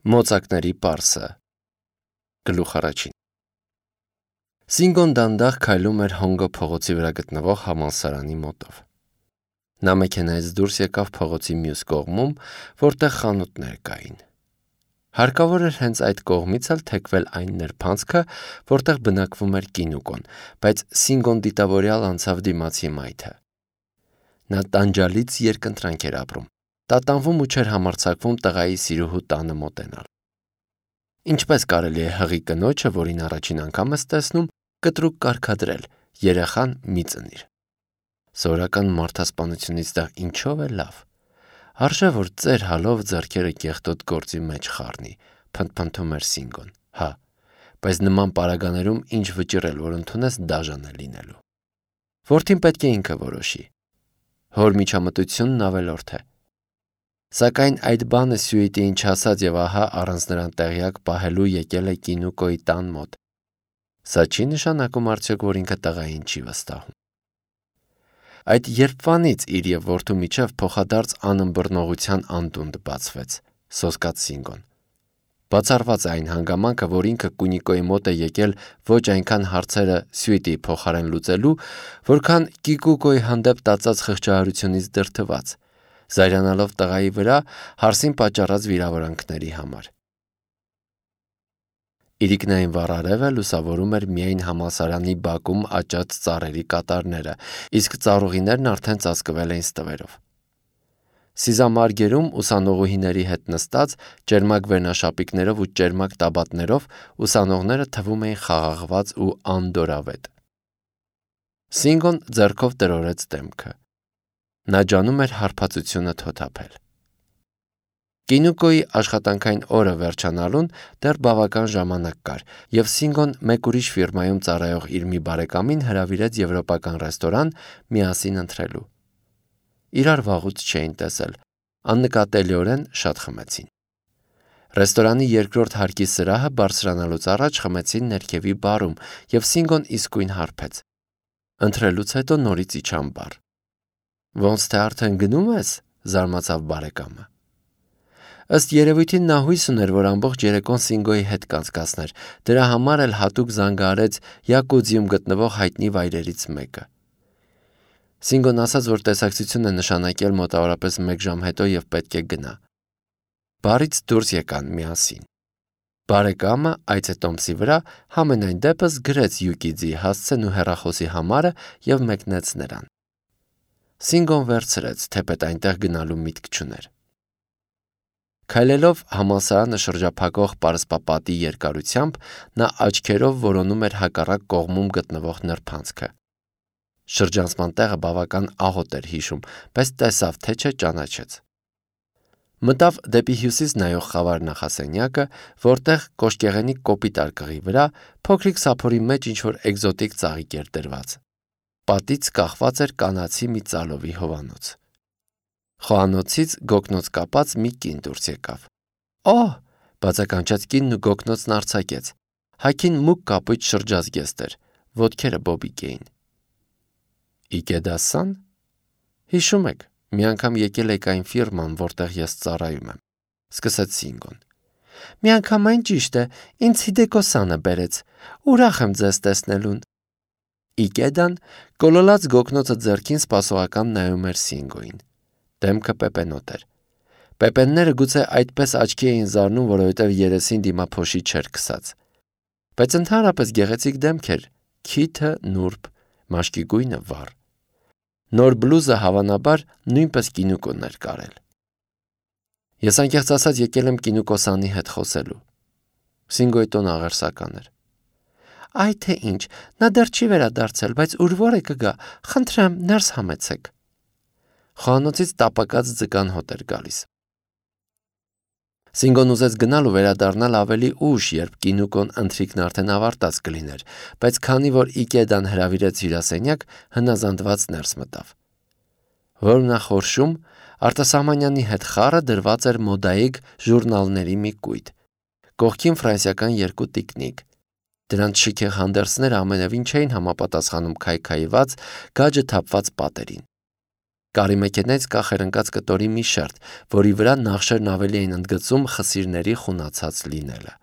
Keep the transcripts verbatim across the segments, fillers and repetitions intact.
Մոծակների պարսը Գլուխ առաջին Սինգոն դանդաղ քայլում էր Հոնգո փողոցի վրա գտնվող համալսարանի մոտով։ Նա մեքենայից դուրս եկավ փողոցի մյուս կողմում, որտեղ խանութներ կային։ Հարկավոր էր հենց այդ կողմից էլ թեքվել այն նրբանցքը, որտեղ բնակվում էր Կինուկոն, բայց Սինգոն դիտավորյալ անցավ դիմացի մայթը։ Նա տանջալից երկընտրանք էր ապրում, տատանվում ու չէր համարձակվում տղայի սիրուհու տանը մոտենալ։ Ինչպես կարելի է հղի կնոջը, որին առաջին անգամ ես տեսնում, կտրուկ կարգադրել, երեխան մի ծնիր։ Սովորական մարդասպանությունից դա ինչով է լավ։ Արժե որ ծեր հալով ձեռքերը կեղտոտ գործի մեջ խառնի, փնթփնթում էր Սինգոն։ Հա, բայց նման պարագաներում ինչ վճռել, որ ընդունես դաժան է լինելու։ Որդին պետք է ինքը որոշի։ Հոր միջամտությունն ավելորդ է։ Սակայն այդ բանը Սյուիտին չասած եւ ահա առանց նրան տեղյակ պահելու եկել է Կինուկոյի տան մոտ։ Սա չի նշանակում արդյոք, որ ինքը տղային չի վստահում։ Այդ երբվանից իր եւ որդու միջև փոխադարձ անըմբռնողության անդունդ բացվեց, սոսկաց Սինգոն։ Բացառված այն հանգամանքը, որ ինքը Կունիկոյի մոտ է եկել ոչ այնքան հարցերը Սյուիտի փոխարեն լուծելու, որքան Կիկուկոյի հանդեպ տածած խղճահարությունից դրդված, զայրանալով տղայի վրա հարսին պատճառած վիրավորանքների համար։ Իրիկնային վառ արևը լուսավորում էր միայն համալսարանի բակում աճած ծառերի կատարները, իսկ ծառուղիներն արդեն ծածկվել էին ստվերով։ Սիզամարգերում ուսանողուհիների հետ նստած, ճերմակ վերնաշապիկներով ու ճերմակ տաբատներով ուսանողները թվում էին խաղաղված ու անդորավետ։ Սինգոն ձեռքով տրորեց դեմքը։ Նա ջանում էր հարբածությունը թոթափել։ Կինուկոյի աշխատանքային օրը վերջանալուն դեռ բավական ժամանակ կար, եւ Սինգոն մեկ ուրիշ ֆիրմայում ծառայող իր մի բարեկամին հրավիրեց եվրոպական ռեստորան միասին ընթրելու։ Իրար վաղուց չէին տեսել, աննկատելիորեն շատ խմեցին։ Ռեստորանի երկրորդ հարկի սրահը բարձրանալուց առաջ խմեցին ներքևի բարում, եւ Սինգոն իսկույն հարբեց։ Ընթրելուց հետո նորից իջան բար։ Ոնց թե արդեն գնում ես, զարմացավ բարեկամը։ Ըստ երևույթին նա հույս ուներ, որ ամբողջ երեկոն Սինգոյի հետ կանցկացներ, դրա համար էլ հատուկ զանգահարեց Յակուձիում գտնվող հայտնի վայրերից մեկը։ Սինգոն ասաց, որ տեսակցություն է նշանակել մոտավորապես մեկ ժամ հետո եւ պետք է գնա։ Բարից դուրս եկան միասին։ Բարեկամը այցետոմսի վրա համենայն դեպս գրեց Յուկիձի հասցեն ու հեռախոսի համարը եւ մեկնեց նրան։ Սինգոն վերցրեց, թեպետ այնտեղ գնալու միտք չուներ։ Քայլելով համալսարանը շրջափակող պարսպապատի երկարությամբ, նա աչքերով որոնում էր հակառակ կողմում գտնվող նրբանցքը։ Շրջանցման տեղը բավական աղոտ էր հիշում, բայց տեսավ, թե չէ ճանաչեց։ Մտավ դեպի հյուսիս նայող խավար նախասենյակը, որտեղ կոշկեղենի կոպիտ արկղի վրա փոքրիկ սափորի մեջ ինչ-որ էկզոտիկ ծաղիկ էր դրված։ Պատից կախված էր կանացի մի ծալովի հովանոց։ Խոհանոցից գոգնոց կապած մի կին դուրս եկավ։ Օհ, բացականչած կինն ու գոգնոցն արձակեց։ Հագին մուգ կապույտ շրջազգեստ էր, ոտքերը բոբիկ էին։ Իկեդասան։ Հիշում եք, մի անգամ եկել եք այն ֆիրման, որտեղ ես ծառայում եմ, սկսեց Սինգոն։ Միանգամայն ճիշտ է, ինձ Հիդեկոսանը բերեց։ Ուրախ եմ ձեզ տեսնելուն։ Իկեդան կոլոլած գոգնոցը ձեռքին սպասողական նայում էր Սինգոյին։ Դեմքը պեպենոտ էր։ Պեպենները գուցե այդպես աչքի էին զարնում, որովհետև երեսին դիմափոշի չէր քսած։ Բայց ընդհանրապես գեղեցիկ դեմք էր, քիթը նուրբ, մաշկի գույնը վառ։ Նոր բլուզը հավանաբար նույնպես Կինուկոն էր կարել։ Ես անկեղծ ասած եկել եմ Կինուկոսանի հետ խոսելու։ Սինգոյի տոնը աղերսական էր։ Այ թե ինչ, նա դեռ չի վերադարձել, բայց ուր որ է կգա, խնդրեմ, ներս համեցեք։ Խոհանոցից տապակած ձկան հոտ էր գալիս։ Սինգոն ուզեց գնալ ու վերադառնալ ավելի ուշ, երբ Կինուկոն ընթրիքն արդեն ավարտած կլիներ, բայց քանի որ Իկեդան հրավիրեց հյուրասենյակ, հնազանդված ներս մտավ։ Որմնախորշում արտասահմանյանի հետ խառը դրված էր մոդայիկ ժուրնալների մի կույտ, կողքին ֆրանսիական երկու տիկնիկ։ Դրանց շքեղ հանդերձները ամենևին չէին համապատասխանում քայքայված, գաջը թափված պատերին։ Կարի մեքենայից կախ էր ընկած կտորի մի շերտ, որի վրա նախշերն ավելի էին ընդգծում խսիրների խունացած լինելը։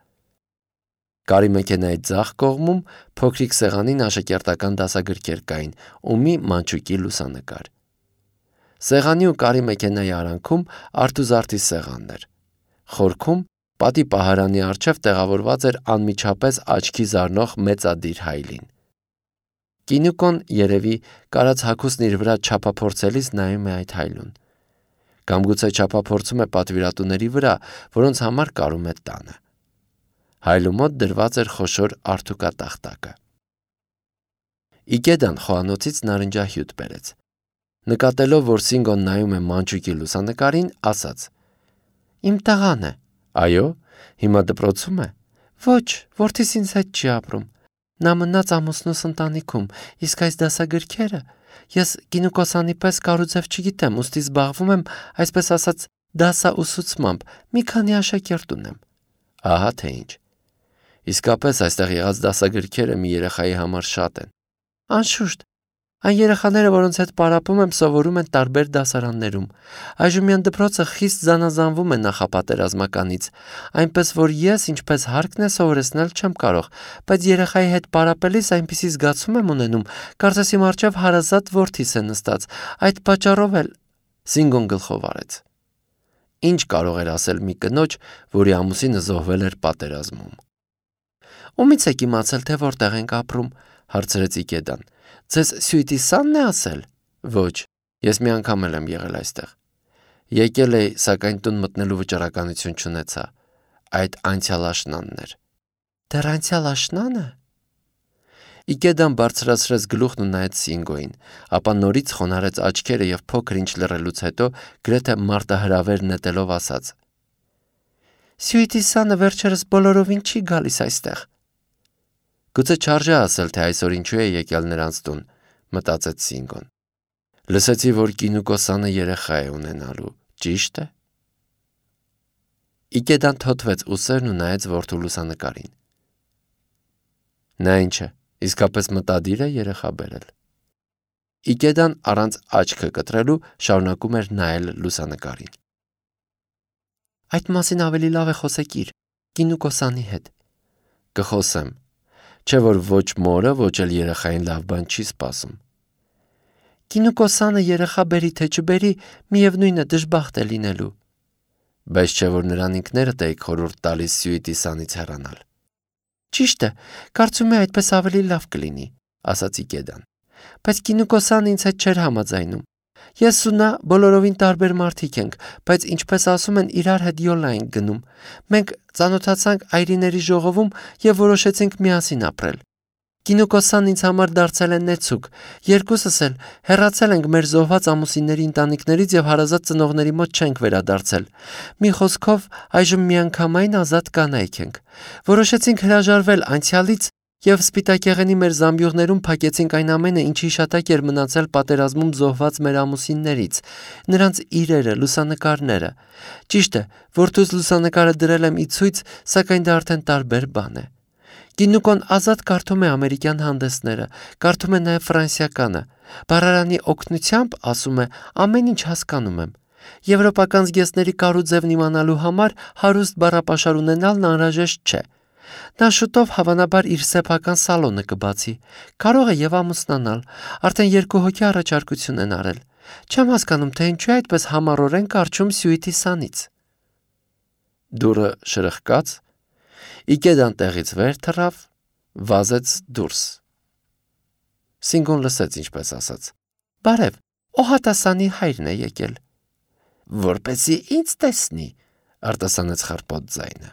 Կարի մեքենայի ձախ կողմում փոքրիկ սեղանին աշակերտական դասագրքեր կային ու մի մանչուկի լուսանկար։ Սեղանի ու կարի մեքենայի արանքում արթուզարդի սեղանն էր։ Խորքում պատի պահարանի առջև տեղավորված էր անմիջապես աչքի զարնող մեծադիր հայլին։ Կինուկոն երևի կարած հագուստն իր վրա չափափորձելիս նայում է այդ հայլուն։ Կամ գուցե չափափորձում է պատվիրատուների վրա, որոնց համար կարում է տանը։ Հայլու մոտ դրված էր խոշոր արթուկատախտակը։ Իգեդան խոհանոցից նարնջահյութ բերեց։ Նկատելով, որ Սինգոն նայում է մանչուկի լուսանկարին, ասաց. «Իմ տղան է»։ «Այո, հիմա դպրոցում է»։ «Ոչ, որդիս ինձ հետ չի ապրում։ Նա մնաց ամուսնուս ընտանիքում, իսկ այս դասագրքերը ես գինուկոսանի պես կարուձև չգիտեմ, ուստի զբաղվում եմ, այսպես ասած, դասաուսուցմամբ, մի քանի աշակերտ ունեմ»։ Ահա թե ինչ։ Իսկապես այստեղ եղած դասագրքերը մի երեխայի համար շատ են։ Անշուշտ, այն երեխաները, որոնց հետ պարապում եմ, սովորում են տարբեր դասարաններում։ Այժմյան դպրոցը խիստ զանազանվում է նախապատերազմականից, այնպես որ ես, ինչպես հարկն է սովորեցնել, չեմ կարող, բայց երեխայի հետ պարապելիս այնպիսի զգացում եմ ունենում, կարծես իմ առջև հարազատ որդիս է նստած, այդ պատճառով էլ Սինգոն գլխով արեց։ Ինչ կարող էր ասել մի կնոջ, որի ամուսինը զոհվել էր պատերազմում։ Ումից եք իմացել, թե որտեղ ենք ապրում, հարցրեց Իգեդան։ Ձեզ Սյուիտի Սանն է ասել։ Ոչ, ես մի անգամ էլ եմ եղել այստեղ։ Եկել էի, սակայն տուն մտնելու վճռականություն չունեցա։ Այդ անցյալ աշնանն էր։ Դեռ անցյալ աշնանը։ Իգեդան բարձրացրեց գլուխն ու նայեց Սինգոին, ապա նորից խոնարհեց աչքերը եւ փոքր ինչ լռելուց հետո գրեթե մարտահրավեր նետելով ասաց. Սյուիտի Սանը վերջերս բոլորովին չի գալիս այստեղ։ Գուցե չարժե ասել, թե այսօր ինչու է եկել նրանց տուն, մտածեց Սինգոն։ Լսեցի, որ Կինուկոսանը երեխա է ունենալու, ճիշտ է։ Իգեդան թոթվեց ուսերն ու նայեց որդու լուսանկարին։ Նա ինչ է, իսկապես մտադիր է երեխա բերել։ Իգեդան առանց աչքը կտրելու շարունակում էր նայել լուսանկարին։ Այդ մասին ավելի լավ է խոսեք իր Կինուկոսանի հետ։ Կխոսեմ, չէ որ ոչ մորը, ոչ էլ երեխային լավ բան չի սպասում։ Կինուկոսանը երեխա բերի թե չբերի, միևնույն է դժբախտ է լինելու։ Բայց չէ որ նրան ինքներդ եք խորհուրդ տալիս Սյուիտի Սանից հեռանալ։ Ճիշտ է, կարծում եմ այդպես ավելի լավ կլինի, ասաց Իգեդան։ Բայց Կինուկոսանը ինձ հետ չէր համաձայնում։ Ես ու նա բոլորովին տարբեր մարդիկ ենք, բայց ինչպես ասում են, իրար հետ յոլա ենք գնում։ Մենք ծանոթացանք այրիների ժողովում եւ որոշեցինք միասին ապրել։ Կինուկոսան ինձ համար դարձել է նեցուկ։ Երկուսս էլ հեռացել ենք մեր զոհված ամուսինների ընտանիքներից եւ հարազատ ծնողների մոտ չենք վերադարձել։ Մի խոսքով, այժմ միանգամայն ազատ կանայք ենք։ Որոշեցինք հրաժարվել անցյալից եւ սպիտակեղենի մեր զամբյուղներում փակեցինք այն ամենը, ինչ հիշատակ էր մնացել պատերազմում զոհված մեր ամուսիններից, նրանց իրերը, լուսանկարները։ Ճիշտ է, որդուս լուսանկարը դրել եմ ի ցույց, սակայն դա արդեն տարբեր բան է։ Կինուկոն ազատ կարդում է ամերիկյան հանդեսները, կարդում է նաև ֆրանսիականը։ Բառարանի օգնությամբ, ասում է, ամեն ինչ հասկանում եմ։ Եվրոպական զգեստների կարուձևն իմանալու համար հարուստ բառապաշար ունենալն անհրաժեշտ չէ։ Նա շուտով հավանաբար իր սեփական սալոնը կբացի։ Կարող է եւ ամուսնանալ, արդեն երկու հոգի առաջարկություն են արել։ Չեմ հասկանում, թե ինչու է այդպես համառորեն կարճում Սյուիտի Սանից։ Դուրը շրխկաց, Իգեդան տեղից վեր թռավ, վազեց դուրս։ Սինգոն լսեց, ինչպես ասաց. Բարև, Օհատասանի հայրն է եկել։ Որպեսզի ինձ տեսնի, արտասանեց խռպոտ ձայնը։